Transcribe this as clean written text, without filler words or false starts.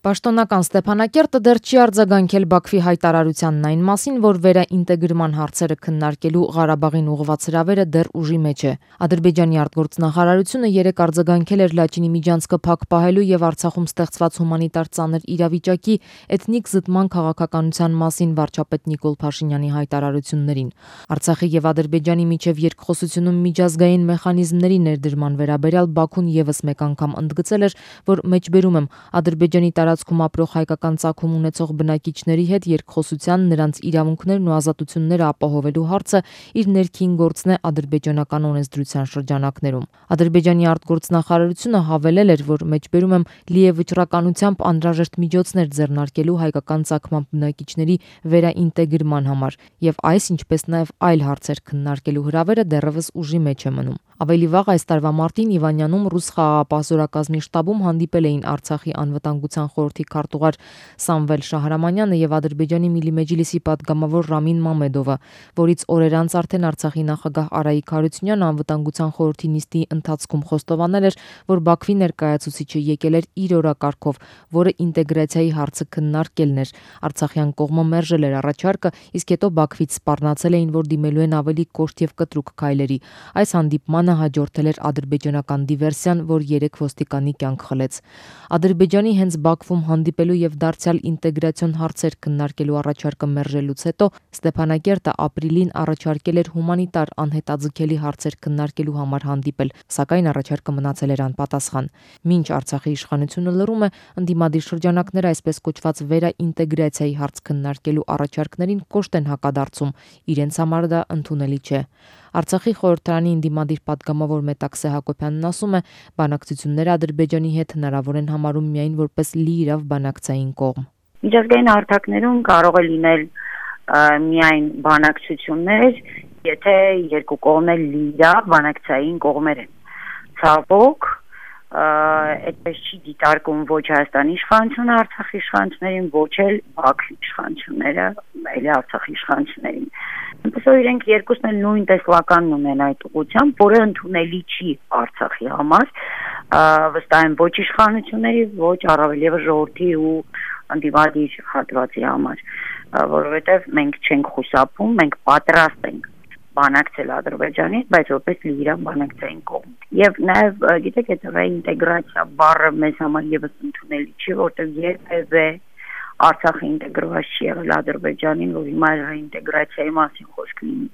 Պաշտոնական Ստեփանակերտը դեռ չի արձագանքել Բաքվի հայտարարությանն այն մասին, որ վերաինտեգրման հարցերը քննարկելու Ղարաբաղին ուղղված հրավերը դեռ ուժի մեջ է։ Ադրբեջանի արտգործնախարարությունը երեկ արձագանքել էր Լաչինի միջանցքը փակ պահելու եւ Արցախում ստեղծված հումանիտար ծանր իրավիճակի էթնիկ զտման քաղաքականության մասին վարչապետ Նիկոլ Փաշինյանի հայտարարություններին։ Արցախի եւ Ադրբեջանի միջև երկխոսությունում միջազգային մեխանիզմների ներդրման վերաբերյալ Բաքուն եւս մեկ անգամ ընդգծել էր, որ մեջբերում եմ Ադրբեջանի տարածքում ապրող հայկական ծագում ունեցող բնակիչների հետ երկխոսության, նրանց իրավունքներն ու ազատությունները ապահովելու հարցը իր ներքին գործն է ադրբեջանական օրենսդրության շրջանակներում։ Ադրբեջանի արտգործնախարարությունը հավելել էր, որ մեջբերում եմ լի է վճռականությամբ անհրաժեշտ միջոցներ ձեռնարկելու հայկական ծագման բնակիչների վերաինտեգրման համար եւ այս, ինչպես նաեւ այլ հարցեր քննարկելու հրավերը դեռևս ուժի մեջ է մնում։ Ավելի վաղ այս տարվա մարտին Իվանյանում ռուս խաղաղապահ զորակազմի շտաբում հանդիպել էին Արցախի անվտանգության խորհրդի քարտուղար Սամվել Շահրամանյանը եւ Ադրբեջանի Միլի Մեջլիսի падգամավոր Ռամին Մամեդովը, որից օրեր անց արդեն Արցախի նախագահ Արայիկ Հարությունյանը անվտանգության խորհրդի նիստի ընթացքում խոստովանել էր, որ Բաքվի ներկայացուցիչը եկել էր իր օրակարգով, որը ինտեգրացիայի հարցը քննարկելն էր։ Արցախյան կողմը մերժել էր առաջարկը, իսկ հետո Բաքվից սպառնացել էին, որ դիմելու են ավելի կոշտ եւ կտրուկ քայլերի։ Այս հանդիպմանը հաջորդել էր ադրբեջանական դիվերսիան, որ 3 ոստիկանի կյանք խլեց։ Ադրբեջանի հենց Բաքվում հանդիպելու եւ դարձյալ ինտեգրացիոն հարցեր քննարկելու առաջարկը մերժելուց հետո Ստեփանակերտը ապրիլին առաջարկել էր հումանիտար անհետաձգելի հարցեր քննարկելու համար հանդիպել, սակայն առաջարկը մնացել էր անպատասխան։ Մինչ Արցախի իշխանությունը լռում է, ընդդիմադիր շրջանակները այսպես կոչված վերաինտեգրացիայի հարց քննարկելու առաջարկներին կոշտ են հակադարձում, իրենց համար դա ընդունելի չէ։ Արցախի խորհրդարանի ընդդիմադիր падգամավոր Մետաքսե Հակոբյանն ասում է, բանակցությունները Ադրբեջանի հետ հնարավոր են համարում միայն որպես լիիրավ բանակցային կողմ։ Միջազգային հարթակներում կարող է լինել միայն բանակցություններ, եթե երկու կողմեր լիիրավ բանակցային կողմեր են։ Ցավոք, այդպես չի դիտարկում ոչ Հայաստանի իշխանությունը Արցախի իշխանություններին, ոչ էլ Բաքվի իշխանությունները, այլ Արցախի իշխանություններին։ Այնպես որ իրենք երկուսն էլ նույն տեսլականն ունեն այդ ուղղությամբ, որը ընդունելի չի Արցախի համար, վստահ եմ ոչ իշխանությունների, ոչ առավել եւս ժողովրդի ու ընդդիմադիր հատվածի համար, որովհետեւ մենք չենք խուսափում, մենք պատրաստ ենք բանակցել Ադրբեջանից, բայց որպես լիիրավ բանակցային կողմ։ Եվ նաեւ գիտեք, այդ ռեինտեգրացիա բառը մեզ համար եւս ընդունելի չի, որտեղ երբևէ Արցախը ինտեգրված չի եղել Ադրբեջանին, որ հիմա ռեինտեգրացիայի մասին խոսք լինի։